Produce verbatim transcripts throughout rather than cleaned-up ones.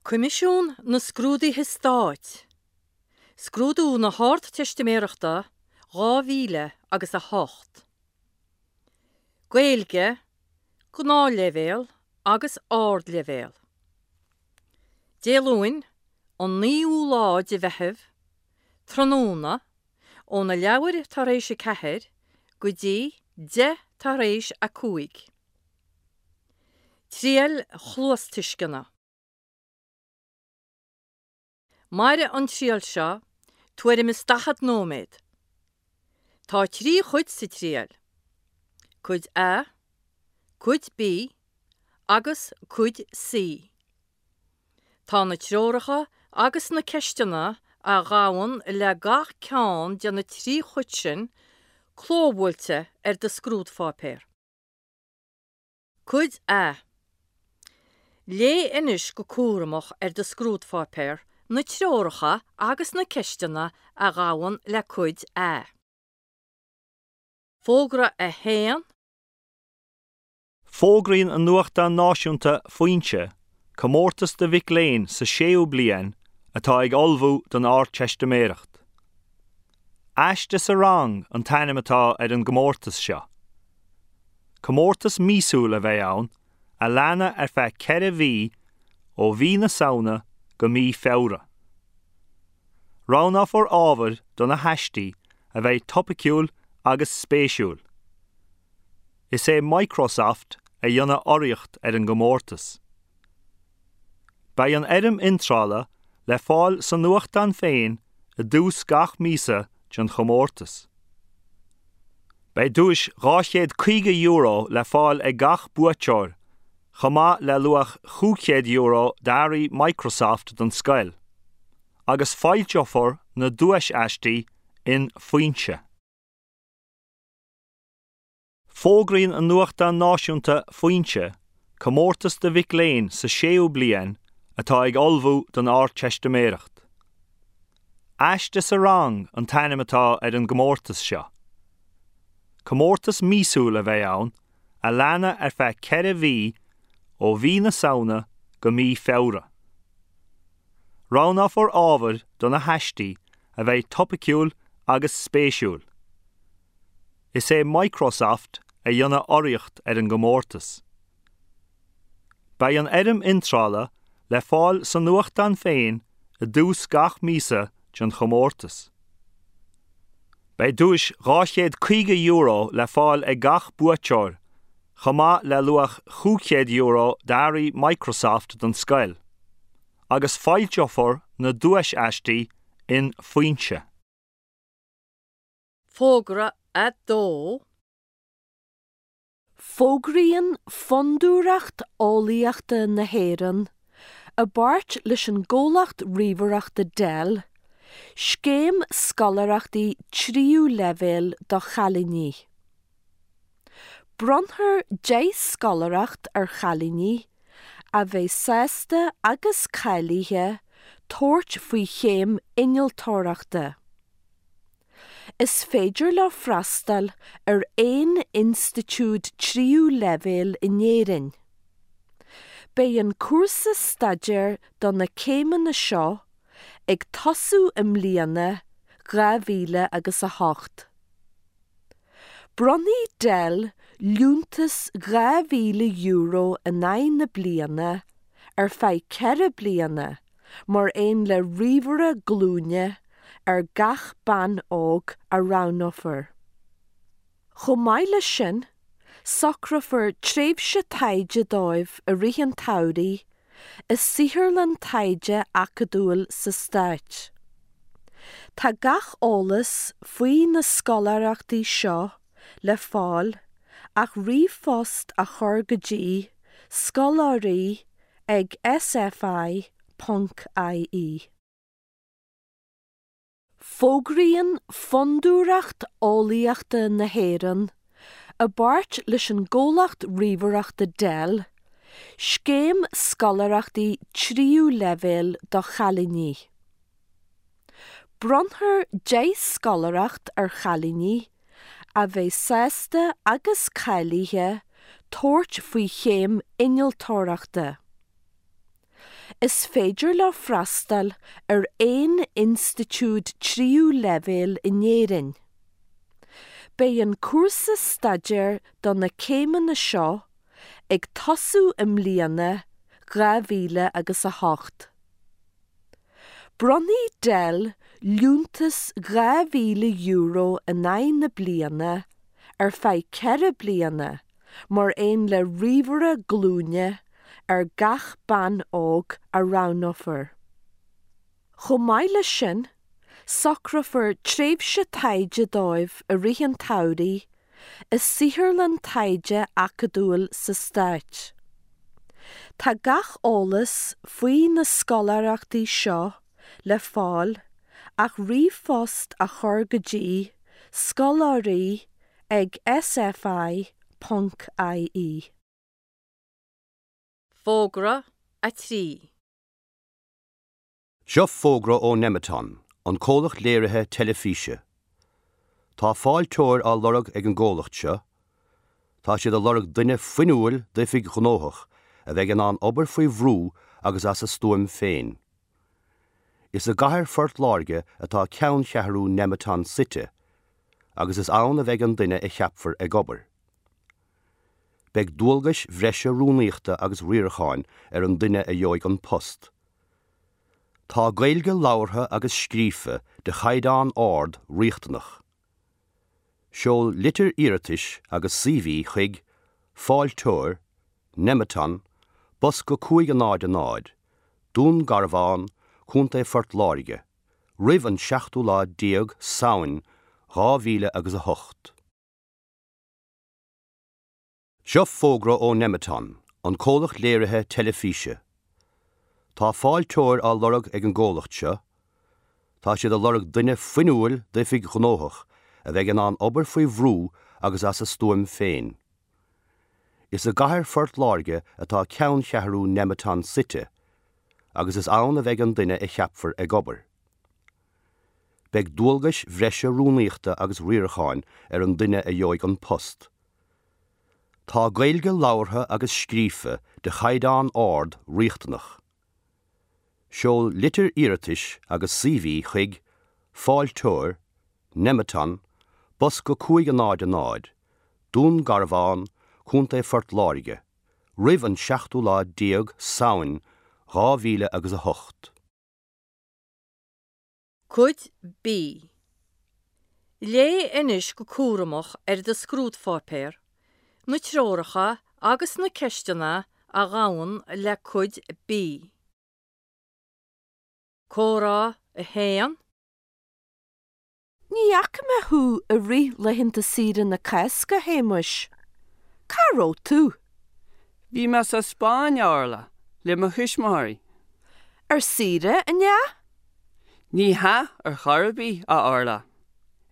Coimisiún na Scrúduithe Stáit, Scrúdú na hArdteistiméireachta dhá mhíle agus a hocht. Gaeilge, Gnáthleibhéal agus Ardleibhéal. Dé Luain, an naoú lá de Mheitheamh, tráthnóna, óna leathuair tar éis a ceathair go dtí deich tar éis a cúig. Triail chluastuisceana. Mairfidh an triail seo tuairim is daichead nóiméad. Tá trí chuid sa triail, Cuid A, Cuid B agus Cuid C. Tá na treoracha agus na ceisteanna a ghabhann le gach ceann de na trí chuid sin clóbhuailte ar do scrúdpháipéar. Cuid A. Léigh anois go cúramach ar do scrúdpháipéar na treoracha agus na ceisteanna a ghabhann le Cuid A. Fógra a haon. Fógraíonn an nuachtán náisiúnta Foinse comórtas do mhic léinn sa séú bliain atá ag ullmhú don Ardteistiméireacht. Aiste sa rang an t-ainm atá ar an gcomórtas seo. Comórtas míosúil a bheidh ann a leanfaidh ar feadh ceithre mhí ó mhí na Samhna go mí Feabhra. Roghnófar ábhair do na haistí a bheidh topaiciúil agus spéisiúil. Is é Microsoft a dhéanfaidh urraíocht ar an gcomórtas. Beidh an fhoirm iontrála le fáil sa nuachtán féin i dtús gach míosa den chomórtas. Beidh duais dhá chéad caoga euro le fáil ag gach buaiteoir, chomh maith le luach cúig chéad euro d'earraí Microsoft don scoil, agus foilseofar na duais-aistí in Foinse. Fógraíonn an nuachtán náisiúnta Foinse comórtas do mhic léinn sa séú bliain atá ag ullmhú don Ardteistiméireacht. Aiste sa rang an t-ainm atá ar an gcomórtas seo. Comórtas míosúil a bheidh ann a leanfaidh ar feadh ceithre mhí ó mhí na Samhna go mí Feabhra. Roghnófar ábhair do na haistí a bheidh topaiciúil agus spéisiúil. Is é Microsoft a dhéanfaidh urraíocht ar an gcomórtas. Beidh an fhoirm iontrála le fáil sa nuachtán féin i dtús gach míosa den chomórtas. Beidh duais dhá chéad caoga euro le fáil ag gach buaiteoir, chomh maith le luach cúig chéad euro d'earraí Microsoft don scoil, agus foilseofar na duais-aistí in Foinse. Fógra a dó. Fógraíonn Fondúireacht Eolaíochta na hÉireann, i bpáirt leis an gcomhlacht ríomhaireachta Dell, scéim scoláireachtaí tríú leibhéal do chailíní. Bronnfar deich scoláireacht ar chailíní a bheidh sásta agus cáilithe tabhairt faoi chéim innealtóireachta. Is féidir leo freastal ar aon institiúid tríú leibhéal in Éirinn. Beidh an cúrsa staidéir do na céimeanna seo ag tosú i mbliana dhá mhíle agus a hocht. Bronnfaidh Dell liúntas dhá mhíle euro in aghaidh na bliana ar feadh ceithre bliana mar aon le ríomhaire glúine ar gach bean óg a roghnófar. Chomh maith leis sin, socrófar tréimhse taighde dóibh i rith an tsamhraidh i saotharlann taighde acadúil sa Stát. Tá gach eolas faoi na scoláireachtaí seo le fáil ach ríomhphost a chur go dtí scoláirí ag S F I ponc I E. Fógraíonn Fondúireacht Eolaíochta na hÉireann, i bpáirt leis an gcomhlacht ríomhaireachta Dell, scéim scoláireachtaí tríú leibhéal do chailíní. Bronnfar deich scoláireacht ar chailíní a bheidh sásta agus cáilithe tabhairt faoi chéim innealtóireachta. Is féidir leo freastal ar aon institiúid tríú leibhéal in Éirinn. Beidh an cúrsa staidéir do na céimeanna seo ag tosú i mbliana dhá mhíle agus a hocht. Bronnfaidh Dell liúntas dhá mhíle euro in aghaidh na bliana ar feadh ceithre bliana mar aon le ríomhaire glúine ar gach bean óg a roghnófar. Chomh maith leis sin, socrófar tréimhse taighde dóibh i rith an tsamhraidh i saotharlann taighde acadúil sa Stát. Tá gach eolas faoi na scoláireachtaí seo le fáil ach ríomhphost a chur go dtí scoláirí ag sfi ponc ie. Fógra a trí. Seo fógra ó Nemeton, an comhlacht léirithe teilifíse. Tá fáilteoir á lorg ag an gcomhlacht seo. Tá siad ag lorg duine fuinniúil d'oifig ghnóthach a bheidh in ann obair faoi bhrú agus as a stuaim féin. Is i gcathair Phort Láirge atá ceanncheathrú Nemeton suite, agus is ann a bheidh an duine a cheapfar ag obair. Beidh dualgais bhreise rúnaíochta agus riaracháin ar an duine a gheobhaidh an post. Tá Gaeilge labhartha agus scríofa de chaighdeán ard riachtanach. Seol litir iarratais agus CV chuig Fáilteoir, Nemeton, Bosca cúig a náid a náid, Dún Garbhán, Contae Phort Láirge, roimh an seachtú lá déag Samhain dhá mhíle agus a hocht. Seo fógra ó Nemeton, an comhlacht léirithe teilifíse. Tá fáilteoir á lorg ag an gcomhlacht seo. Tá siad ag lorg duine fuinniúil d'oifig ghnóthach a bheidh in ann obair faoi bhrú agus as a stuaim féin. Is i gcathair Phort Láirge atá ceanncheathrú Nemeton suite, agus is ann a bheidh an duine a cheapfar ag obair. Beidh dualgais bhreise rúnaíochta agus riaracháin ar an duine a gheobhaidh an post. Tá Gaeilge labhartha agus scríofa de chaighdeán ard riachtanach. Seol litir iarratais agus CV chuig Fáilteoir, Nemeton, Bosca cúig a náid a náid, Dún Garbhán, Contae Phort Láirge, roimh an seachtú lá déag Samhain dhá mhíle agus a hocht. Cuid B. Léigh anois go cúramach ar do scrúdpháipéar, na treoracha agus na ceisteanna a ghabhann le Cuid B. Comhrá a haon. Ní fhaca mé thú i rith laethanta saoire na Cásca, a Shéamuis. Cá raibh tú? Bhí mé sa Spáinn, a Orla, le mo thuismitheoirí. Ar saoire, an ea? Ní hea ar chor ar bith, a Orla.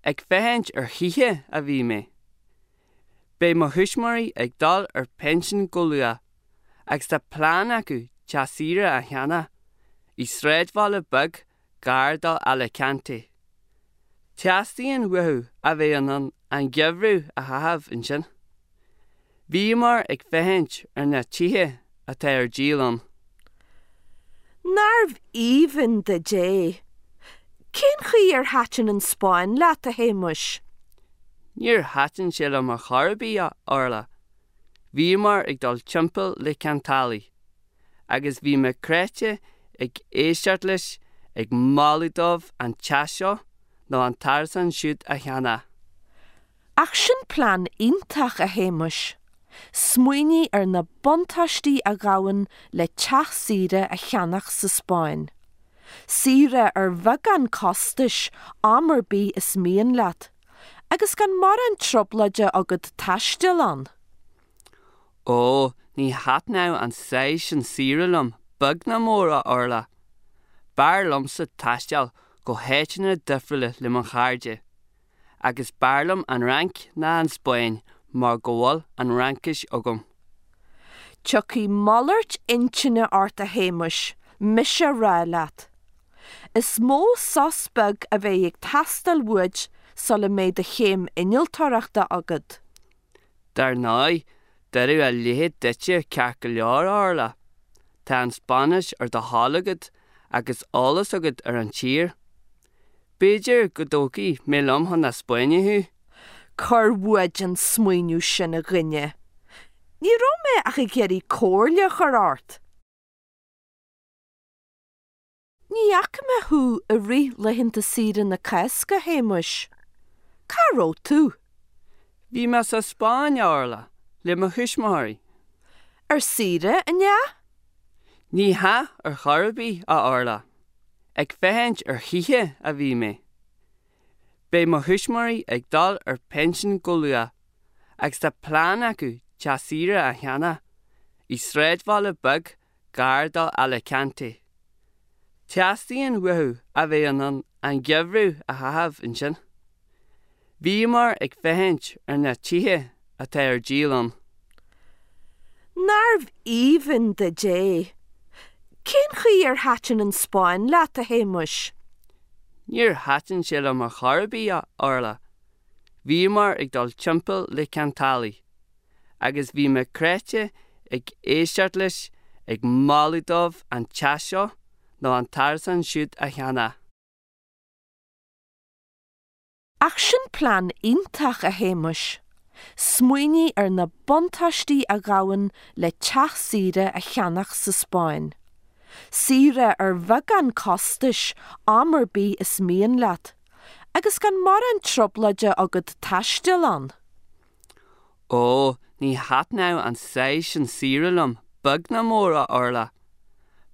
Ag féachaint ar thithe a bhí mé. Beidh mo thuismitheoirí ag dul ar pinsean go luath, agus tá plean acu teach saoire a cheannach i sráidbhaile beag gar do Alicante. Teastaíonn uathu a bheith in ann an geimhreadh a chaitheamh ansin. Bhíomar ag féachaint ar na tithe atá ar díol ann. Nárbh aoibhinn duit é? Cén chaoi ar thaitin an Spáinn leat, a Shéamuis? Níor thaitin sé liom ar chor ar bith, a Orla. Bhíomar ag dul timpeall le ceantálaí, agus bhí mé cráite ag éisteacht leis ag moladh dóibh an teach seo nó an t-árasán siúd a cheannach. Ach sin plean iontach, a Shéamuis. Smaoinigh ar na buntáistí a ghabhann le teach saoire a cheannach sa Spáinn. Saoire ar bheagán costais am ar bith is mian leat, agus gan mórán trioblóide agat taisteal ann. Ó, ní thaitneodh an saghas sin saoire liom, beag ná mór, a Orla. B'fhearr liomsa taisteal go háiteanna difriúla le mo chairde, agus b'fhearr liom an Fhrainc ná an Spáinn mar go bhfuil an Fhraincis agam. Tiocfaidh malairt intinne ort, a Shéamuis, mise a rá leat. Is mó sos beag a bheidh ag teastáil uait sula mbeidh do chéim innealtóireachta agat. Dar ndóigh, deireadh a leithéid duitse ceart go leor, a Orla. Tá an Spáinnis ar do thoil agat agus eolas agat ar an tír. B'fhéidir go dtógfaidh mé liom chun na Spáinne thú? Cuir uait an smaoineamh sin a dhuine. Ní raibh mé ach ag iarraidh comhairle a chur ort. Ní fhaca mé thú i rith laethanta saoire na Cásca, a Shéamuis. Cá raibh tú? Bhí mé sa Spáinn, a Orla, le mo thuismitheoirí. Ar saoire, an ea? Ní hea ar chor ar bith, a Orla. Ag féachaint ar thithe a bhí mé. Beidh mo thuismitheoirí ag dul ar pinsean go luath agus tá plean acu teach saoire a cheannach i sráidbhaile beag gar do Alicante. Teastaíonn uathu a bheith in ann an geimhreadh a chaitheamh ansin. Bhíomar ag féachaint ar na tithe atá ar díol ann. Nárbh aoibhinn duit é? Cén chaoi ar thaitin an Spáinn leat, a Shéamuis? Níor thaitin sé liom ar chor ar bith, a Orla. Bhíomar ag dul timpeall le ceantálaí, agus bhí mé cráite ag éisteacht leis ag moladh dóibh an teach seo nó an t-árasán siúd a cheannach. Ach sin plean iontach, a Shéamuis. Smaoinigh ar na buntáistí a ghabhann le teach saoire a cheannach sa Spáinn. Saoire ar bheagán costais am ar bith is mian leat, agus gan mórán trioblóide agat taisteal ann. Ó, ní thaitneodh an saghas sin saoire liom, beag ná mór, a Orla.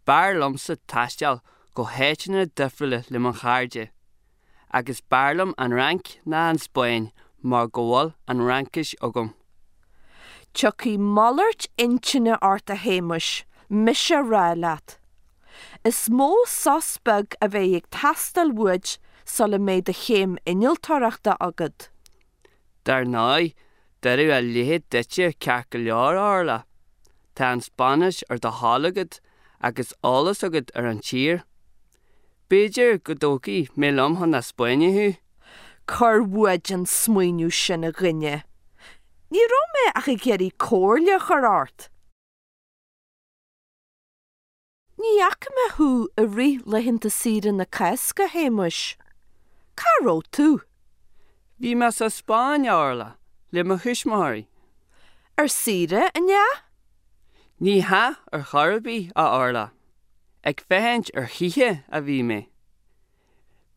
B'fhearr liomsa taisteal go háiteanna difriúla le mo chairde. Agus b'fhearr liom an Fhrainc ná an Spáinn mar go bhfuil an Fhraincis agam. Tiocfaidh malairt intinne ort a Shéamuis, mise a rá leat. Is mó sos beag a bheidh ag teastáil uait sula mbeidh do chéim innealtóireachta agat. Dar ndóigh, d'oirfeadh a leithéid duitse ceart go leor, a Orla. Tá an Spáinnis ar do thoil agat agus eolas agat ar an tír. B'fhéidir go dtógfaidh mé liom chun na Spáinne thú? Cuir uait an smaoineamh sin a dhuine. Ní raibh mé ach ag iarraidh comhairle a chur ort. Ní fhaca mé thú i rith laethanta saoire na Cásca, a Shéamuis. Cá raibh tú? Bhí mé sa Spáinn, a Orla, le mo thuismitheoirí. Ar saoire, an ea? Ní hea ar chor ar bith, a Orla. Ag féachaint ar thithe a bhí mé.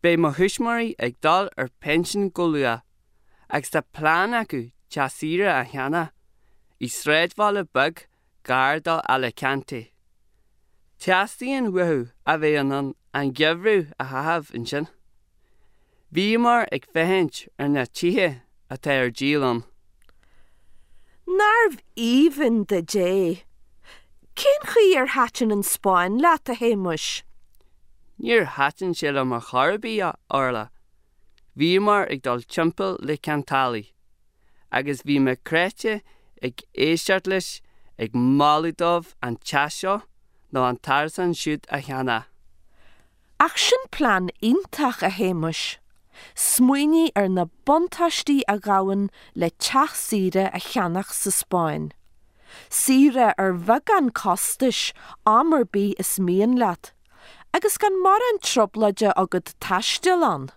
Beidh mo thuismitheoirí ag dul ar pinsean go luath agus tá plean acu teach saoire a cheannach i sráidbhaile beag gar do Alicante. Teastaíonn uathu a bheith in ann an geimhreadh a chaitheamh ansin. Bhíomar ag féachaint ar na tithe atá ar díol ann. Nárbh aoibhinn duit é? Cén chaoi ar thaitin an Spáinn leat, a Shéamuis? Níor thaitin sé liom ar chor ar bith, a Orla. Bhíomar ag dul timpeall le ceantálaí, agus bhí mé cráite ag éisteacht leis ag moladh dóibh an teach seo nó an t-árasán siúd a cheannach. Ach sin plean iontach, a Shéamuis. Smaoinigh ar na buntáistí a ghabhann le teach saoire a cheannach sa Spáinn. Saoire ar bheagán costais am ar bith is mian leat, agus gan mórán trioblóide agat taisteal ann.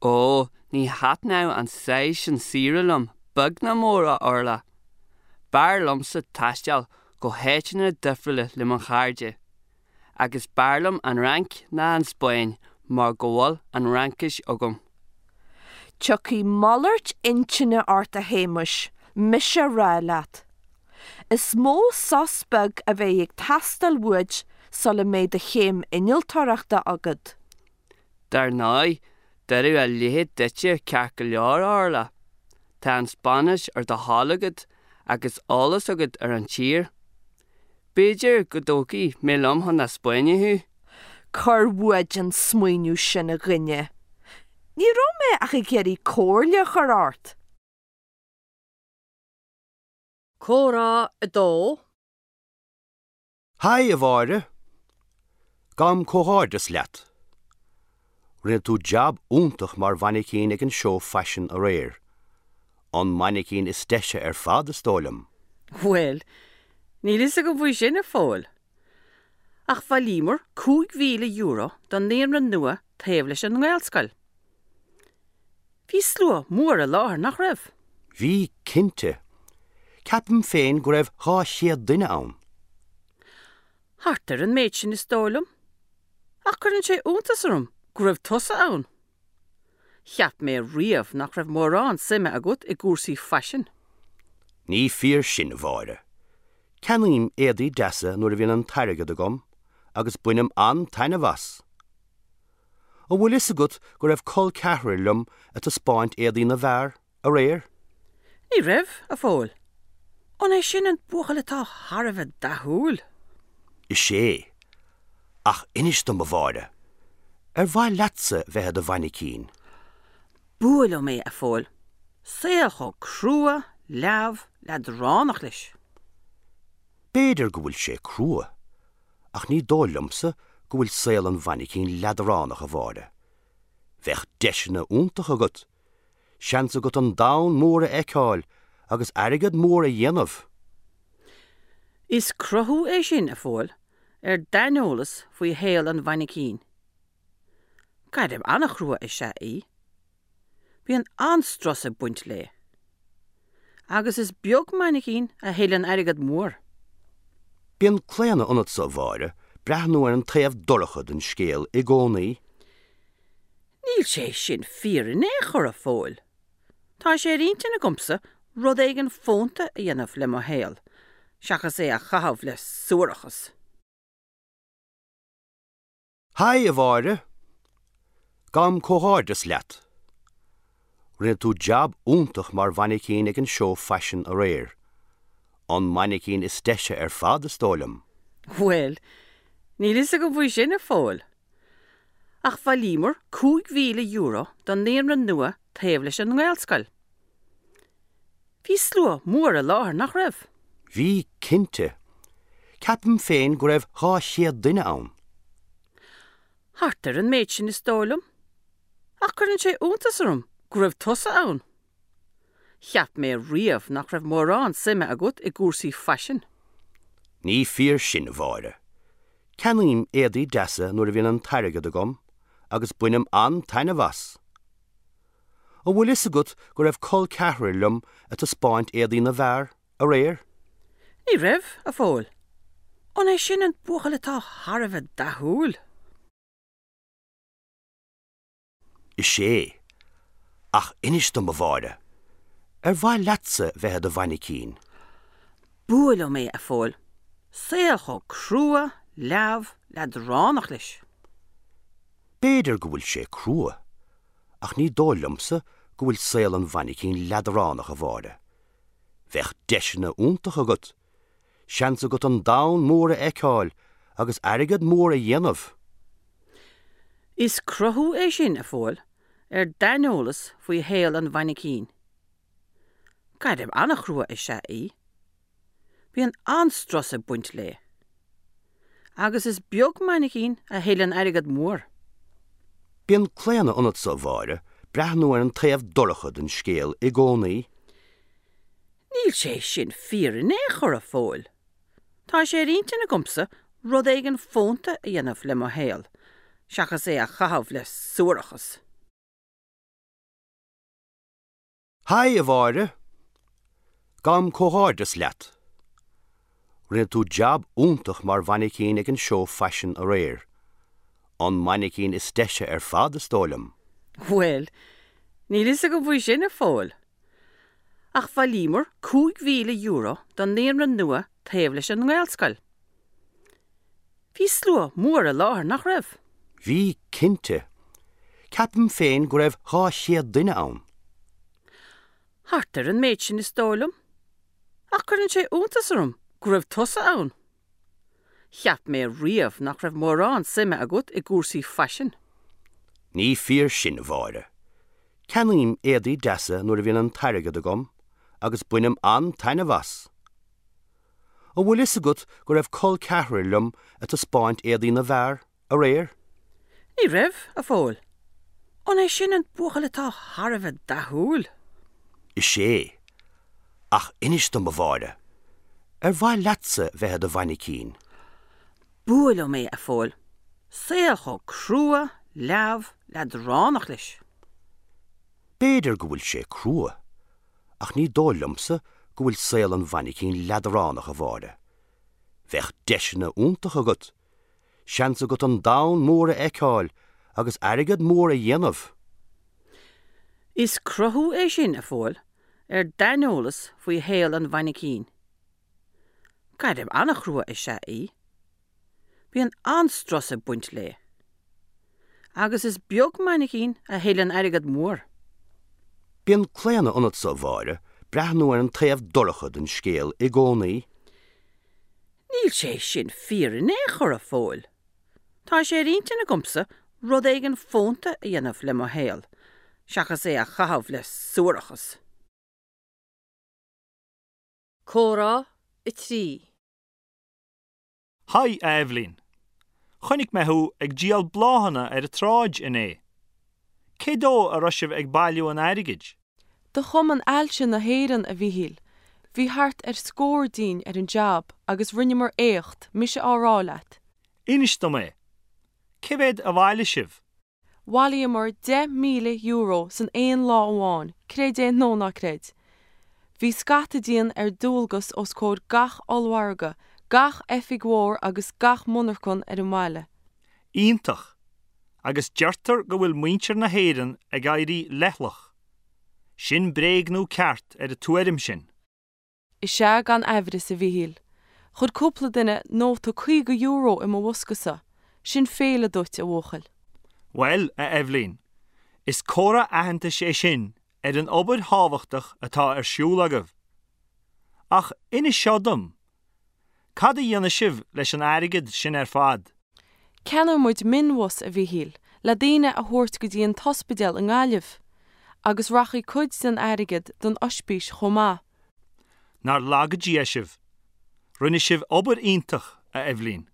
Ó, ní thaitneodh an saghas sin saoire liom, beag ná mór, a Orla. B'fhearr liomsa taisteal go háiteanna difriúla le mo chairde. Agus b'fhearr liom an Fhrainc ná an Spáinn mar go bhfuil an Fhraincis agam. Tiocfaidh malairt intinne ort a Shéamuis, mise a rá leat. Is mó sos beag a bheidh ag teastáil uait sula mbeidh do chéim innealtóireachta agat. Dar ndóigh, d'oirfeadh a leithéid duitse ceart go leor, a Orla. Tá an Spáinnis ar do thoil agat agus eolas agat ar an tír. B'fhéidir go dtógfaidh mé liom chun na Spáinne thú? Cuir uait an smaoineamh sin a dhuine. Ní raibh mé ach ag iarraidh comhairle a chur ort. Comhrá a dó. Haigh, a Mháire. Gabhaim comhghairdeas leat. Rinne tú jab iontach mar mhainicín ag an seó faisin aréir. An mainicín is deise ar fad, is dóigh liom. Bhuel, níl fhios agam faoi sin a Phóil. Ach bhailíomar cúig mhíle euro don naíonra nua taobh leis an nGaelscoil. Bhí slua mór i láthair, nach raibh? Bhí, cinnte. Ceapaim féin go raibh dhá chéad duine ann. Thart ar an méid sin is dóigh liom. Ach cuireann sé iontas orm go raibh tusa ann. Cheap mé riamh nach raibh mórán suime agat i gcúrsaí faisin. Ní fíor sin, a Mháire. Ceannaím éadaí deasa nuair a bhíonn an t-airgead agam agus bainim an-taitneamh as. An bhfuil fhios agat go raibh col ceathrair liom ag taispeáint éadaí na bhfear, aréir? Ní raibh, a Phóil. An é sin an buachaill atá thar a bheith dathúil? Is é. Ach inis dom, a Mháire, ar mhaith leatsa bheith i do mhainicín? B'fhuath liom é, a Phóil. Saol chomh crua, leamh, leadránach leis. B'fhéidir go bhfuil sé crua, ach ní dóigh liomsa go bhfuil saol an mhainicín leadránach, a Mháire. Bheadh deiseanna iontacha agat, seans agat an domhan mór a fheiceáil agus airgead mór a dhéanamh. Is cruthú é sin, a Phóil, ar d'aineolas faoi shaol an mhainicín. Gairm an-chrua is ea í. Bíonn an-strus ag baint léi. Agus is beag mainicín a thuilleann airgead mór. Bíonn claonadh ionatsa, a Mháire, breathnú ar an taobh dorcha den scéal i gcónaí. Níl sé sin fíor in aon chor, a Phóil. Tá sé ar intinn agamsa rud éigin fónta a dhéanamh le mo shaol, seachas é a chaitheamh le suarachas. Haigh, a Mháire! Gabhaim comhghairdeas leat. Rinne tú jab iontach mar mhainicín ag an seó faisin aréir. An mainicín is deise ar fad, is dóigh liom. Bhuel, níl fhios agam faoi sin, a Phóil. Ach bhailíomar cúig mhíle euro don naíonra nua taobh leis an nGaelscoil. Bhí slua mór i láthair, nach raibh? Bhí, cinnte. Ceapaim féin go raibh dhá chéad duine ann. Thart ar an méid sin is dóigh liom. Ach cuireann sé iontas orm go raibh tusa ann. Cheap mé riamh nach raibh mórán suime agat i gcúrsaí faisin. Ní fíor sin, a Mháire. Ceannaím éadaí deasa nuair a bhíonn an t-airgead agam agus bainim an-taitneamh as. An bhfuil fhios agat go raibh col ceathrair liom ag taispeáint éadaí na bhfear, aréir? Ní raibh, a Phóil. An é sin an buachaill atá thar a bheith dathúil? Is é. Ach inis dom, a Mháire, ar mhaith leatsa bheith i do mhainicín? B'fhuath liom é, a Phóil. Saol chomh crua, leamh, leadránach leis. B'fhéidir go bhfuil sé crua, ach ní dóigh liomsa go bhfuil saol an mhainicín leadránach, a Mháire. Bheadh deiseanna iontacha agat, seans agat an domhan mór a fheiceáil agus airgead mór a dhéanamh. Is cruthú é sin, a Phóil, ar d'aineolas faoi shaol an mhainicín. Gairm an-chrua is ea í. Bíonn an-strus ag baint léi. Agus is beag mainicín a thuilleann airgead mór. Bíonn claonadh ionatsa, a Mháire, breathnú ar an taobh dorcha den scéal i gcónaí. Níl sé sin fíor in aon chor, a Phóil. Tá sé ar intinn agamsa rud éigin fónta a dhéanamh le mo shaol, seachas é a chaitheamh le suarachas. Haigh, a Mháire! Gabhaim comhghairdeas leat. Rinne tú jab iontach mar mhainicín ag an seó faisin aréir. An mainicín is deise ar fad, is dóigh liom. Bhuel, níl fhios agam faoi sin, a Phóil. Ach bhailíomar cúig mhíle euro don naíonra nua taobh leis an nGaelscoil. Bhí slua mór i láthair, nach raibh? Bhí, cinnte. Ceapaim féin go raibh dhá chéad duine ann. Thart ar an méid sin is dóigh liom. Ach cuireann sé iontas orm go raibh tusa ann. Cheap mé riamh nach raibh mórán suime agat i gcúrsaí faisin. Ní fíor sin, a Mháire. Ceannaím éadaí deasa nuair a bhíonn an t-airgead agam agus bainim an-taitneamh as. An bhfuil fhios agat go raibh col ceathrair liom ag taispeáint éadaí na bhfear, aréir? Ní raibh, a Phóil. An é sin an buachaill atá thar a bheith dathúil? Is é. Ach inis dom, a Mháire, ar mhaith leatsa bheith i do mhainicín? bua liom é, a Phóil. Saol chomh crua, leamh, leadránach leis. B'fhéidir go bhfuil sé crua, ach ní dóigh liomsa go bhfuil saol an mhainicín leadránach, a Mháire. Bheadh deiseanna iontacha agat, seans agat an domhan mór a fheiceáil agus airgead mór a dhéanamh. Is cruthú é sin, a Phóil, ar d'aineolas faoi shaol an mhainicín. Gairm an-chrua is ea í. Bíonn an-strus ag baint léi. Agus is beag mainicín a thuilleann airgead mór. Bíonn claonadh ionatsa, a Mháire, breathnú ar an taobh dorcha den scéal i gcónaí. Níl sé sin fíor in aon chor, a Phóil. Tá sé ar intinn agamsa rud éigin fónta a dhéanamh le mo shaol, seachas é a chaitheamh le suarachas. Comhrá a trí. Haigh, a Eibhlín. Chonaic mé thú ag díol bláthanna ar an tsráid inné. Cé dó a raibh sibh ag bailiú an airgid? Do Chumann Ailse na hÉireann, a Mhíchíl. Bhí thart ar scór dínn ar an jab agus rinneamar éacht, mise á rá leat. Inis dom é. Cé mhéad a bhailigh sibh? Bhailíomar deich míle euro san aon lá amháin, creid é nó ná creid. Bhí scata dínn ar dualgas os comhair gach ollmhargadh, gach oifig mhór agus gach monarchan ar an mbaile. Iontach! Agus deirtear go bhfuil muintir na hÉireann ag éirí leithleach. Sin bréag nó ceart ar an tuairim sin. Is ea gan amhras, a Mhíchíl. Chuir cúpla duine nóta caoga euro i mo bhoscasa. Sin féile duit, a bhuachaill. Bhuel, a Eibhlín, is comhartha aitheantais é sin ar an obair thábhachtach atá ar siúl agaibh. Ach inis seo dom, cad a dhéanfaidh sibh leis an airgead sin ar fad? Ceannóidh muid mionbhus, a Mhíchíl, le daoine a thabhairt go dtí an t-ospidéal i nGaillimh, agus rachaidh cuid den airgead don ospís chomh maith. Nár laga Dia sibh. Rinne sibh obair iontach, a Eibhlín.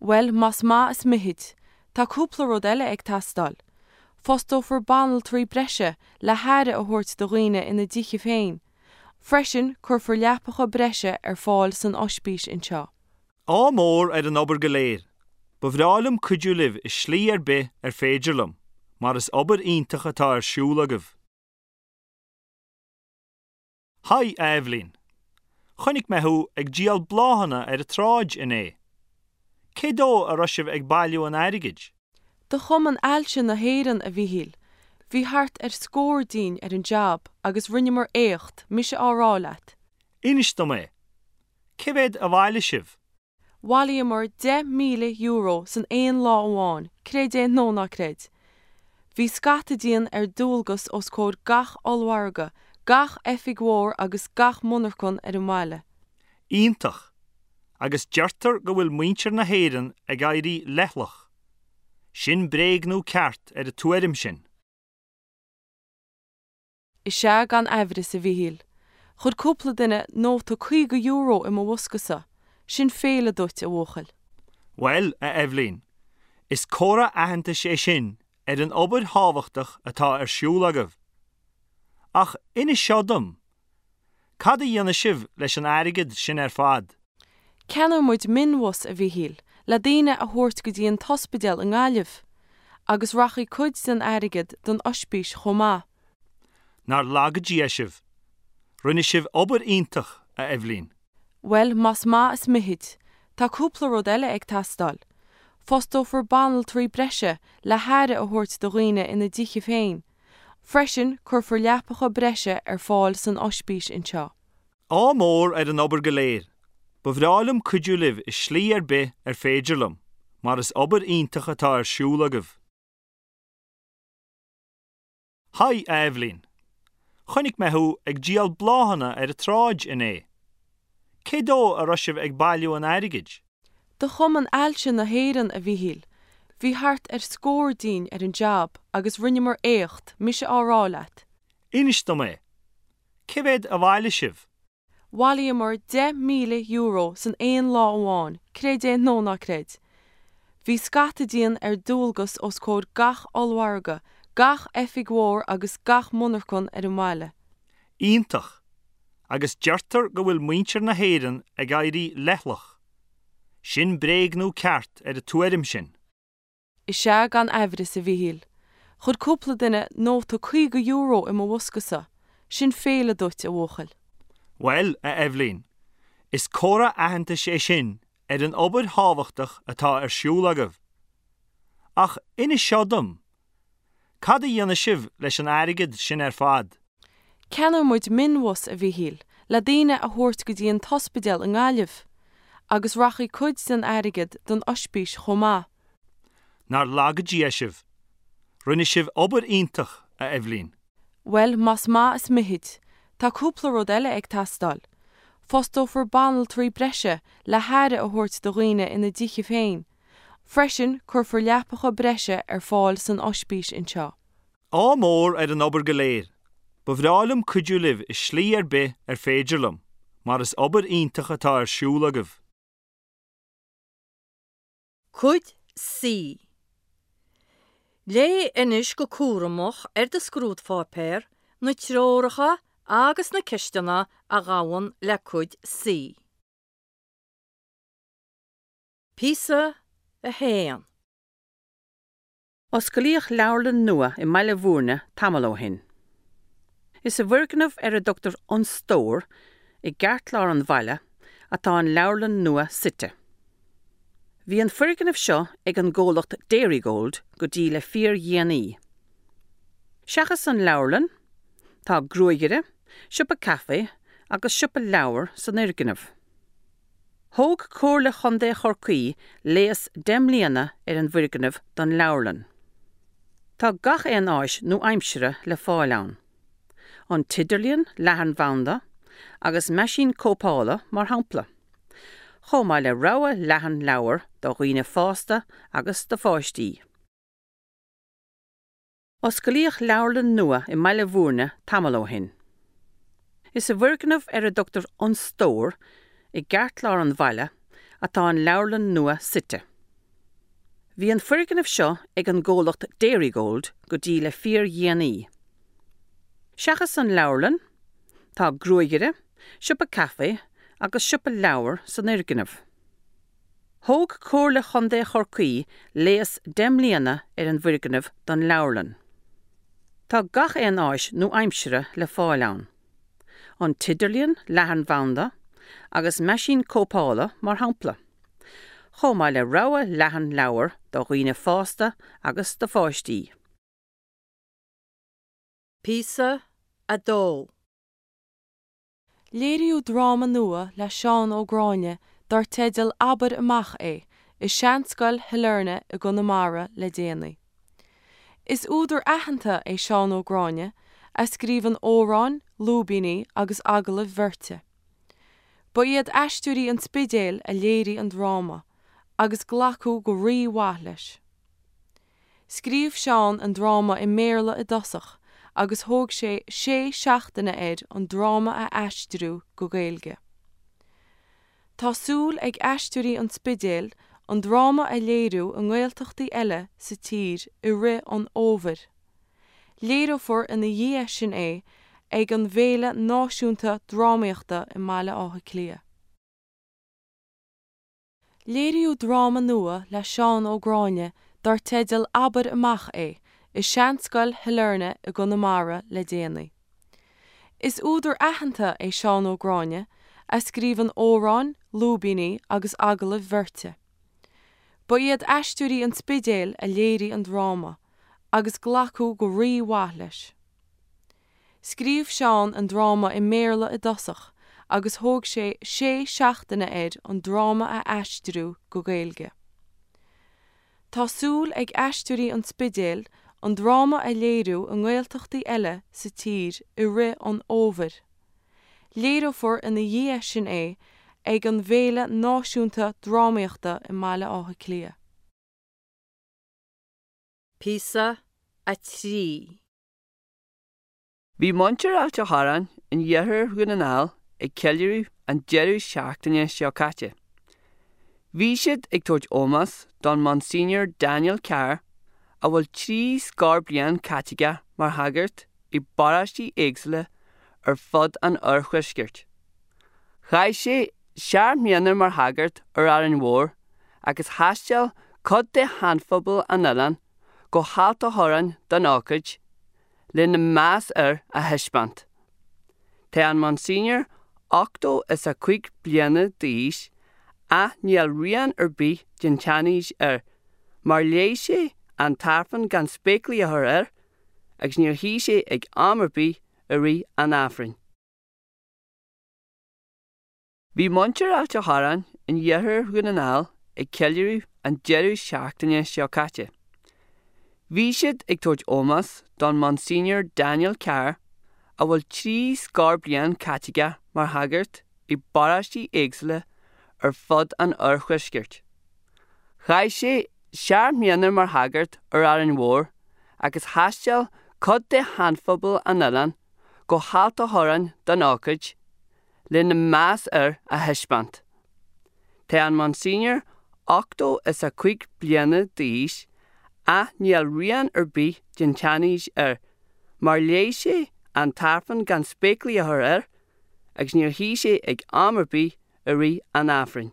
Bhuel, más maith is mithid, tá cúpla rud eile ag teastáil. Fostófar banaltraí breise le haire a thabhairt do dhaoine ina dtithe féin. Freisin cuirfear leapacha breise ar fáil san ospís anseo. Ádh mór ar an obair go léir. Ba bhreá liom cuidiú libh i slí ar bith ar féidir liom, mar is obair iontach atá ar siúl agaibh. Haigh, a Eibhlín. Chonaic mé thú ag díol bláthanna ar an tsráid inné. Cé dó a raibh sibh ag bailiú an airgid? Do Chumann Ailse na hÉireann, a Mhíchíl. Bhí thart ar scór dínn ar an jab agus rinneamar éacht, mise á rá leat. Inis dom é. Cé mhéad a bhailigh sibh? Bhailíomar deich míle euro san aon lá amháin, creid é nó ná creid. Bhí scata dínn ar dualgas os comhair gach ollmhargadh, gach oifig mhór agus gach monarchan ar an mbaile. Iontach! Agus deirtear go bhfuil muintir na hÉireann ag éirí leithleach. Sin bréag nó ceart ar an tuairim sin. Is ea gan amhras, a Mhíchíl. Chuir cúpla duine nóta caoga euro i mo bhoscasa. Sin féile duit, a bhuachaill. Bhuel, a Eibhlín, is comhartha aitheantais é sin ar an obair thábhachtach atá ar siúl agaibh. Ach inis seo dom, cad a dhéanfaidh sibh leis an airgead sin ar fad? Ceannóidh muid mionbhus, a Mhíchíl, le daoine a thabhairt go dtí an t-ospidéal i nGaillimh, agus rachaidh cuid den airgead don ospís chomh maith. Nár laga Dia sibh. Rinne sibh obair iontach, a Eibhlín. Bhuel, más maith is mithid, tá cúpla rud eile ag teastáil. Fostófar banaltraí breise le haire a thabhairt do dhaoine ina dtithe féin. Freisin cuirfear leapacha breise ar fáil san ospís anseo. Ádh mór ar an obair go léir. Ba bhreá liom cuidiú libh i slí ar bith ar féidir liom, mar is obair iontach atá ar siúl agaibh. Haigh, a Eibhlín. Chonaic mé thú ag díol bláthanna ar an tsráid inné. Cé dó a raibh sibh ag bailiú an airgid? Do Chumann Ailse na hÉireann, a Mhíchíl. Bhí thart ar scór dínn ar an jab agus rinneamar éacht, mise á rá leat. Inis dom é. Cé mhéad a bhailigh sibh? Bhailíomar deich míle euro san aon lá amháin, creid é nó ná creid. Bhí scata dínn ar dualgas os comhair gach ollmhargadh, gach oifig mhór agus gach monarchan ar an mbaile. Iontach! Agus deirtear go bhfuil muintir na hÉireann ag éirí leithleach. Sin bréagnú ceart ar an tuairim sin. Is ea gan aimhreas, a Mhíchíl. Chuir cúpla duine nóta caoga euro i mo bhoscasa. Sin féile duit, a bhuachaill. Bhuel, a Eibhlín, is comhartha aitheantais é sin ar an obair thábhachtach atá ar siúl agaibh. Ach inis seo dom, cad a dhéanfaidh sibh leis an airgead sin ar fad? Ceannóidh muid mionbhus, a Mhíchíl, le daoine a thabhairt go dtí an t-ospidéal i nGaillimh, agus rachaidh cuid den airgead don ospís chomh maith. Nár laga Dia sibh. Rinne sibh obair iontach, a Eibhlín. Bhuel, más maith is mithid, tá cúpla rud eile ag teastáil. Fostófar banaltraí breise le haire a thabhairt do dhaoine ina dtithe féin. Freisin, cuirfear leapacha breise ar fáil san ospís anseo. Ádh mór ar an obair go léir. Ba bhreá liom cuidiú libh i slí ar bith ar féidir liom, mar is obair iontach atá ar siúl agaibh. Cuid C. Léigh anois go cúramach ar do scrúdpháipéar na treoracha agus na ceisteanna a ghabhann le Cuid C. Píosa a haon. Osclaíodh leabharlann nua i mBaile Bhúirne tamall ó shin. Is i bhfoirgneamh ar a dtugtar An Stór i gceartlár an bhaile atá an leabharlann nua suite. Bhí an foirgneamh seo ag an gcomhlacht Dairygold go dtí le fíordhéanaí. Seachas an leabharlann, tá gruagaire, siopa caife agus siopa leabhar san fhoirgneamh. Thóg Comhairle Chontae Chorcaí léas deich mbliana ar an bhfoirgneamh don leabharlann. Tá gach aon áis nua-aimseartha le fáil ann. An t-idirlíon leathanbhanda agus meaisín cóipeála mar shampla. Chomh maith le rogha leathan leabhar do dhaoine fásta agus do pháistí. Osclaíodh leabharlann nua i mBaile Bhúirne tamall ó shin. Is i bhfoirgneamh ar a dtugtar An Stór i gceartlár an bhaile atá an leabharlann nua suite. Bhí an foirgneamh seo ag an gcomhlacht Dairygold go dtí le fíordhéanaí. Seachas an leabharlann, tá gruagaire, siopa caife agus siopa leabhar san fhoirgneamh. Thóg Comhairle Chontae Chorcaí léas deich mbliana ar an bhfoirgneamh don leabharlann. Tá gach aon áis nua-aimseartha le fáil ann. An t-idirlíon leathanbhanda agus meaisín cóipeála mar shampla. Chomh maith le rogha leathan leabhar do dhaoine fásta agus do pháistí. Píosa a dó. Léiríodh dráma nua le Seán Ó Gráinne dar teideal Abair Amach É i Seanscoil Shailearna i gConamara le déanaí. Is údar aitheanta é Seán Ó Gráinne, a scríobhann amhráin, lúibíní agus agallaimh bheirte. Ba iad Aisteoirí an Spidéil a léirigh an dráma, agus glacadh go rímhaith leis. Scríobh Seán an dráma i mBéarla i dtosach agus thóg sé sé seachtaine air an dráma a aistriú go Gaeilge. Tá súil ag Aisteoirí an Spidéil an dráma a léiriú i nGaeltachtaí eile sa tír i rith an fhómhair. Léireofar ina dhiaidh sin é ag an bhFéile Náisiúnta Drámaíochta i mBaile Átha Cliath. Léiríodh dráma nua le Seán Ó Gráinne dar teideal Abair Amach É i Seanscoil Shailearna i gConamara le déanaí. Is údar aitheanta é Seán Ó Gráinne, a scríobhann amhráin, lúibíní agus agallaimh bheirte. Ba iad Aisteoirí an Spidéil a léirigh an dráma, agus glacadh go rímhaith leis. Scríobh Seán an dráma i mBéarla i dtosach agus thóg sé sé seachtaine air an dráma a aistriú go Gaeilge. Tá súil ag Aisteoirí an Spidéil an dráma a léiriú i nGaeltachtaí eile sa tír i rith an fhómhair. Léireofar ina dhiaidh sin é ag an bhFéile Náisiúnta Drámaíochta i mBaile Átha Cliath. Píosa a trí. Bhí muintir Ailt an Chorráin in iarthar Dhún na nGall ag ceiliúradh an deireadh seachtaine seo caite. Bhí siad ag tabhairt ómós don Monsignor Daniel Carr a bhfuil trí scór bliain caite aige mar shagart i bparóistí éagsúla ar fud an oirthuaiscirt. Chaith sé seacht mbliana mar shagart ar Árainn Mhór agus thaistil cuid de sheanphobal an oileáin go hAilt a' Chorráin don ócáid lena meas air a thaispeáint. Tá an Monsignor ochtó is a cúig bliana d'aois ach níl rian ar bith den tseanaois air mar léigh sé an tAifreann gan spéaclaí a chur air agus níor shuigh sé ag am ar bith i rith an Aifrinn. Bhí muintir Ailt a' Chorráin in iarthar Dhún na nGall ag ceiliúradh an deireadh seachtaine seo caite. Bhí siad ag tabhairt ómós don Monsignor Daniel Carr a bhfuil trí scór bliain caite aige mar shagart i bparóistí éagsúla ar fud an oirthuaiscirt. Chaith sé seacht mbliana mar shagart ar Árainn Mhór agus thaistil cuid de sheanphobal an oileáin go hAilt a' Chorráin don ócáid lena meas air a thaispeáint. Tá an Monsignor ochtó is a cúig bliana d'aois ach níl rian ar bith den tseanaois air mar léigh sé an tAifreann gan spéaclaí a chur air agus níor shuigh sé ag am ar bith i rith an Aifrinn.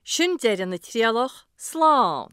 Sin deireadh na trialach, slán!